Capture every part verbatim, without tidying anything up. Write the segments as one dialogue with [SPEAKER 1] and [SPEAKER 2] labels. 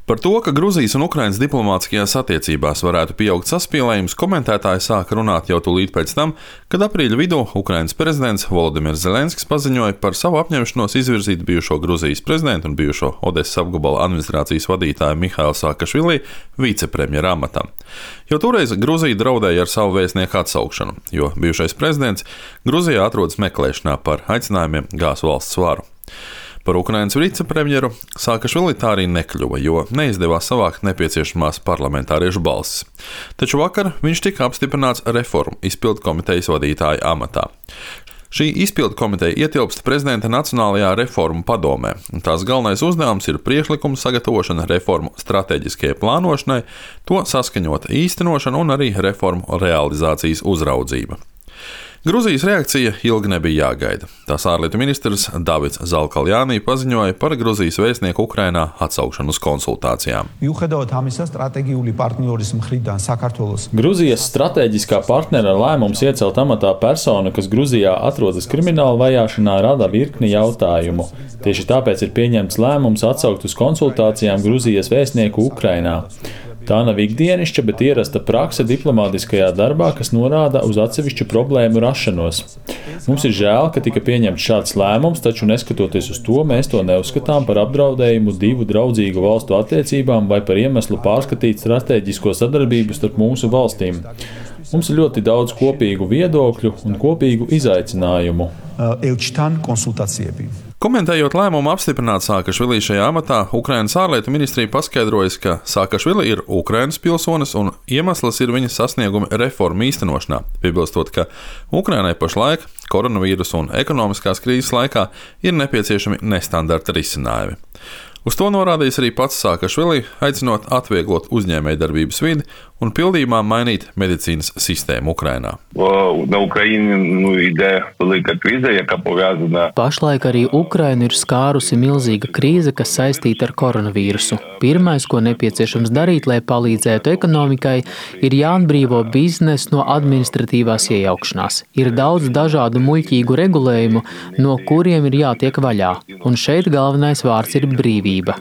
[SPEAKER 1] Par to, ka Gruzijas un Ukrainas diplomātiskajās attiecībās varētu pieaugt saspīlējums, komentētāji sāka runāt jau tūlīt pēc tam, kad aprīļa vidū Ukrainas prezidents Volodimirs Zelenskis paziņoja par savu apņemšanos izvirzīt bijušo Gruzijas prezidentu un bijušo Odesas apgabala administrācijas vadītāju Mihailu Saakašvili vicepremjera amatam. Jo toreiz Gruzija draudēja ar savu vēstnieku atsaukšanu, jo bijušais prezidents Gruzijā atrodas meklēšanā par aicinājumiem gāzt valsts varu. Par Ukrainas vicepremjeru Saakašvili tā arī nekļuva, jo neizdevās savākt nepieciešamās parlamentāriešu balsis. Taču vakar viņš tika apstiprināts reformu izpildu komitejas vadītāja amatā. Šī izpildu komiteja ietilpst prezidenta Nacionālajā reformu padomē, un tās galvenais uzdevums ir priekšlikumu sagatavošana reformu stratēģiskajai plānošanai, to saskaņota īstenošana un arī reformu realizācijas uzraudzība. Gruzijas reakcija ilgi nebija jāgaida. Tās ārlietu ministrs Davids Zalkaljāni paziņoja par Gruzijas vēstnieku Ukrainā atsaukšanu uz konsultācijām.
[SPEAKER 2] Gruzijas stratēģiskā partnera lēmums iecelt amatā personu, kas Gruzijā atrodas krimināla vajāšanā, rada virkni jautājumu. Tieši tāpēc ir pieņemts lēmums atsaukt uz konsultācijām Gruzijas vēstnieku Ukrainā. Tā nav ikdienišķa, bet ierasta prakse diplomātiskajā darbā, kas norāda uz atsevišķu problēmu rašanos. Mums ir žēl, ka tika pieņemts šāds lēmums, taču neskatoties uz to, mēs to neuzskatām par apdraudējumu divu draudzīgu valstu attiecībām vai par iemeslu pārskatīt stratēģisko sadarbību starp mūsu valstīm. Mums ir ļoti daudz kopīgu viedokļu un kopīgu izaicinājumu.
[SPEAKER 1] Komentējot lēmumu apstiprināt Saakašvili šajā amatā, Ukrainas ārlietu ministrija paskaidrojas, ka Saakašvili ir Ukrainas pilsonis un iemesls ir viņa sasniegumi reformu īstenošanā, piebilstot, ka Ukrainai pašlaik koronavīrusa un ekonomiskās krīzes laikā ir nepieciešami nestandarta risinājumi. Uz to norādījis arī pats Saakašvili, aicinot atvieglot uzņēmējdarbības vidi un pildījumā mainīt medicīnas sistēmu Ukrainā.
[SPEAKER 3] Pašlaik arī Ukrainu ir skārusi milzīga krīze, kas saistīta ar koronavīrusu. Pirmais, ko nepieciešams darīt, lai palīdzētu ekonomikai, ir jāatbrīvo biznes no administratīvās iejaukšanās. Ir daudz dažādu muļķīgu regulējumu, no kuriem ir jātiek vaļā, un šeit galvenais vārds ir brīvība.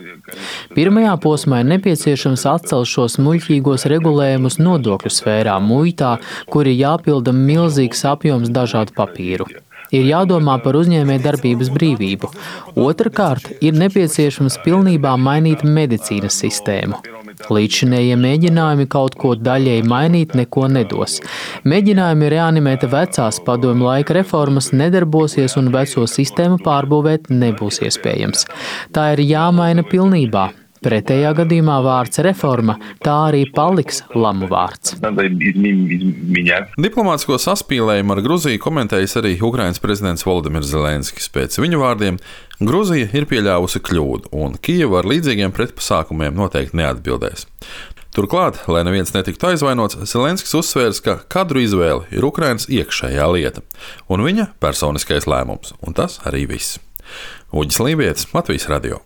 [SPEAKER 3] Pirmajā posmā ir nepieciešams atcelt šos muļķīgos regulējumus nodokļu sfērā, muitā, kur ir jāpilda milzīgs apjoms dažādu papīru. Ir jādomā par uzņēmējdarbības brīvību. Otrakārt, ir nepieciešams pilnībā mainīt medicīnas sistēmu. Līdzšinējie mēģinājumi kaut ko daļēji mainīt neko nedos. Mēģinājumi reanimēt vecās padomju laika reformas nedarbosies un veco sistēmu pārbūvēt nebūs iespējams. Tā ir jāmaina pilnībā. Pretējā gadījumā vārds reforma tā arī paliks lamu vārds.
[SPEAKER 1] Diplomātisko saspīlējumu ar Gruziju komentējis arī Ukrainas prezidents Volodimirs Zelenskis. Pēc viņa vārdiem Gruzija ir pieļāvusi kļūdu, un Kijeva ar līdzīgiem pretpasākumiem noteikti neatbildēs. Turklāt, lai neviens netiktu aizvainots, Zelenskis uzsvērs, ka kadru izvēle ir Ukrainas iekšējā lieta un viņa personiskais lēmums, un tas arī viss. Uģis Lībietis, Latvijas radio.